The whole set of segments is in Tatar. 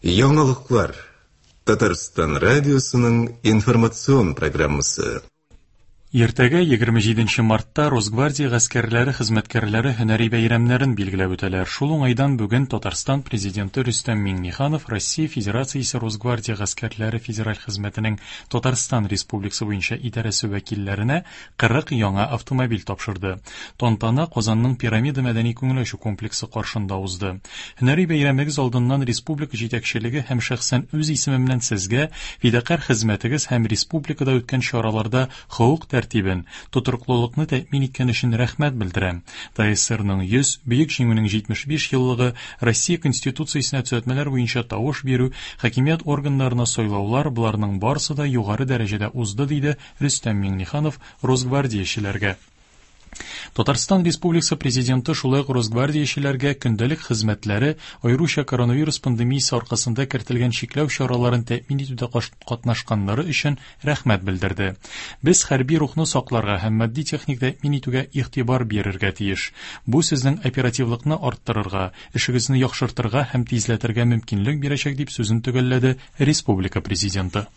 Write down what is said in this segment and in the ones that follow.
Яңалыклар. Татарстан радиосының информацион программасы. Иртәгә, 27 мартта, Росгвардия гаскәрләре хезмәткәрләре һөнәри бәйрәмнәрен билгеләп үтәләр. Шул уңайдан бүген Татарстан Президенты Рөстәм Миңнеханов Россия Федерациясе Росгвардия гаскәрләре федераль хезмәтенең Татарстан Республикасы буенча идарәсе вәкилләренә 40 яңа автомобиль тапшырды. Тантана Казанның Пирамида мәдәни күңел ачу комплексы каршында узды. Һөнәри бәйрәмегез алдыннан республика җитәкчелеге һәм шәхсән үз исемемнән сезгә фидакарь хезмәтегез һәм республикада үткән чараларда хокук тәртибен, тотрыклылыкны тәэмин иткән өчен рәхмәт белдерәм. ТАССРның 100, Бөек Җиңүнең 75 еллыгы, Россия Конституциясенә төзәтмәләр буенча тавыш бирү, хакимият органнарына сайлаулар, боларның барысы да югары дәрәҗәдә узды, диде Рөстәм Миңнеханов росгвардиячеләргә. Татарстан Республикасы Президенты шулай ук росгвардиячеләргә көндәлек хезмәтләре, аеруча коронавирус пандемиясе аркасында кертелгән чикләү чараларын тәэмин итүдә катнашканнары өчен рәхмәт белдерде. Без хәрби рухны сакларга һәм матди-техник тәэмин итүгә игътибар бирергә тиеш. Бу сезнең оперативлыкны арттырырга, эшегезне яхшыртырга һәм тизләтергә мөмкинлек бирәчәк, дип сүзен төгәлләде республика Президенты.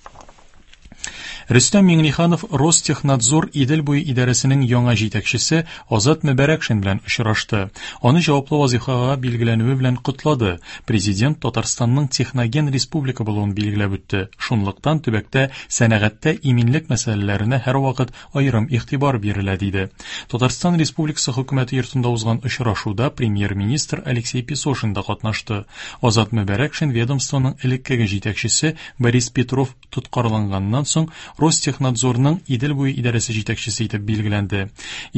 Рөстәм Миңнеханов Ростехнадзор Идел буе идарәсенең яңа җитәкчесе Азат Мөбәрәкшин белән очрашты. Аны җаваплы вазифага билгеләнүе белән котлады. Президент Татарстанның техноген республика булуын билгеләп үтте. Шунлыктан төбәктә сәнәгатьтә иминлек мәсьәләләренә һәрвакыт аерым игътибар бирелә, диде. Татарстан Республикасы Хөкүмәте йортында узган очрашуда премьер-министр Алексей Песошин да катнашты. Азат Мөбәрәкшин ведомствоның элеккеге җитәкчесе Борис Петров тоткарланганнан соң Ростехнадзорның Идел буе идарәсе җитәкчесе итеп билгеләнде.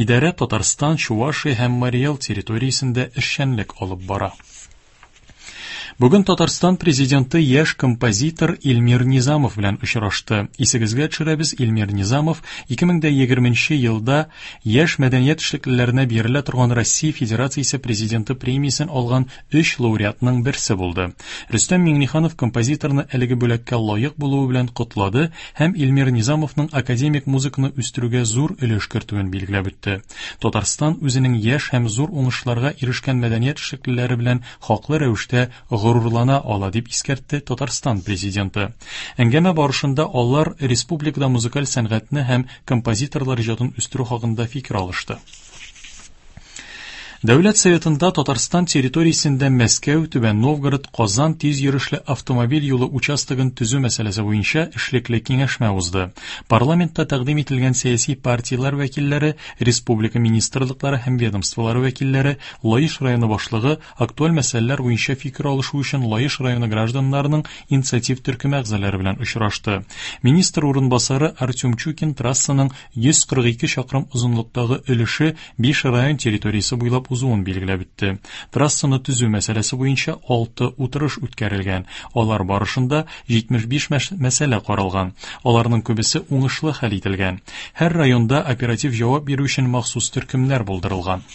Идарә Татарстан, Чувашия һәм Марий Эл территориясендә эшчәнлек алып бара. Бүген Татарстан президенты яшь композитор Илмир Низамов белән очрашты. Исегезгә төшерәбез, Илмир Низамов 2020 елда яшь мәдәният эшлеклеләренә бирелә торган Россия Федерациясе президенты премиясен алган өч лауреатның берсе булды. Рөстәм Миңнеханов композиторны әлеге бүләккә лаек булуы белән котлады һәм Илмир Низамовның академик музыканы үстерүгә зур өлеш кертүен билгеләп үтте. Татарстан үзенең яшь һәм зур уңышларга ирешкән мәдәният эшлеклеләре белән хаклы рәвештә горурлана ала, дип искәртте Татарстан Президенты. Әңгәмә барышында алар республикада музыкаль сәнгатьне һәм композиторлар иҗатын үстерү хакында фикер алышты. Дәүләт Советында Татарстан территориясендә Мәскәү, Түбән Новгород, Казан тиз йөрешле автомобиль юлы участогын төзү мәсьәләсе буенча эшлекле киңәшмә узды. Парламентта тәкъдим ителгән сәяси партияләр вәкилләре, республика министрлыклары һәм ведомстволары вәкилләре, Лаеш районы башлыгы актуаль мәсьәләләр буенча фикер алышу өчен Лаеш районы гражданнарының инициатив төркеме әгъзалары белән очрашты. Министр урынбасары Артем Чукин трассаның 142 чакрым озынлыктагы өлеше биш район территориясе буйлап узуын билгеләп үтте. Трассаны төзү мәсьәләсе буенча 6 утырыш үткәрелгән. Алар барышында 75 мәсьәлә каралган. Аларның күбесе уңышлы хәл ителгән. Һәр районда оператив җавап бирү өчен махсус төркемнәр булдырылган.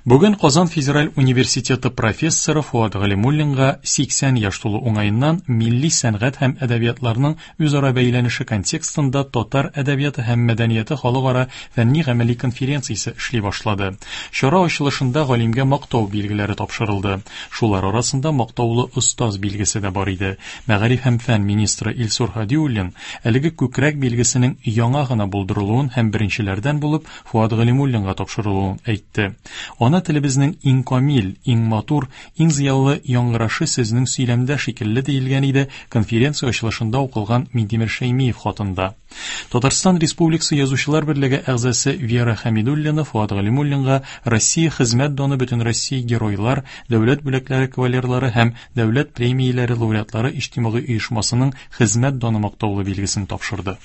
Бүген Казан федераль университеты профессоры Фуат Галимуллинга 80 яшь тулу уңаеннан милли сәнгать һәм әдәбиятларның үзара бәйләнеше контекстында татар әдәбияты һәм мәдәнияте халыкара фәнни-гамәли конференциясе эшли башлады. Чара ачылышында галимгә мактау билгеләре тапшырылды. Шулар арасында мактаулы остаз билгесе дә бар иде. Мәгариф һәм фән министры Илсур Һадиуллин әлеге күкрәк билгесенең яңа гына булдырылуын һәм беренчеләрдән булып Фуат Галимуллинга тапшырылуын әйтте. Ана телебезнең иң камил, иң матур, иң зыялы яңгырашы сезнең сөйләмдә шикелле диелгән иде конференция ачылышында укылган Минтимер Шәймиев хатында. Татарстан Республикасы Язучылар берлеге әгъзасы Вера Хәмидуллина Фуат Галимуллинга Россия Хезмәт даны Бөтенроссия Геройлар, Дәүләт бүләкләре кавалерлары һәм Дәүләт премияләре лауреатлары иҗтимагый оешмасының Хезмәт даны мактаулы билгесен тапшырды.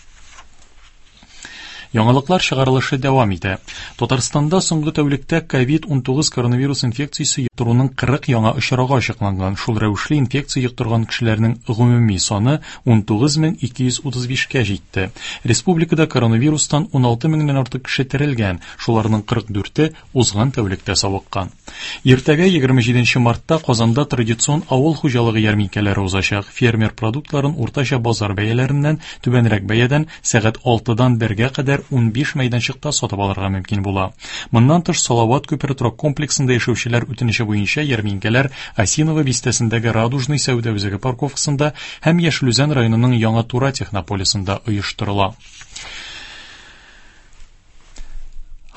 Яңалыклар чыгарылышы дәвам итә. Татарстанда соңгы тәүлектә COVID-19 коронавирус инфекциясе йоктыруның 40 яңа очрагы ачыкланган. Шул рәвешле инфекция йоктырган кешеләрнең гомуми саны 19235-кә җитте. Республикада коронавирустан 16 меңнән артык кеше терелгән, шуларның 44-е узган тәүлектә савыккан. Иртәгә 27 мартта Казанда традицион авыл хуҗалыгы ярминкәләре узачак. Фермер продуктларын уртача базар бәяләреннән түбәнрәк бәядән сәгать 6-дан 1-гә кадәр кадәр 15 мәйданчыкта сатып алырга мөмкин була. Моннан тыш, Салават күпере торак комплексында яшәүчеләр үтенече буенча ярминкәләр Осиново бистәсендәге Радужный сәүдә үзәге парковкасында һәм Яшел Үзән районының Яңа Тура технополисында оештырыла.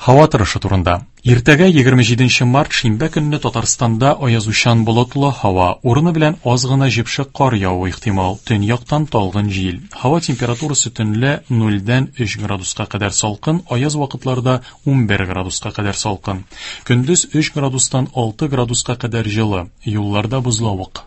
Һава торышы турында. Иртәгә 27 март шимбә көнне Татарстанда аязучан болытлы һава, урыны белән аз гына җепшек кар явуы ихтимал, төньяктан талгын җил. Һава температурасы төнлә 0-дән 3 градуска кадәр салкын, аяз вакытларда 11 градуска кадәр салкын. Көндез 3 градустан 6 градуска кадәр җылы, юлларда бозлавык.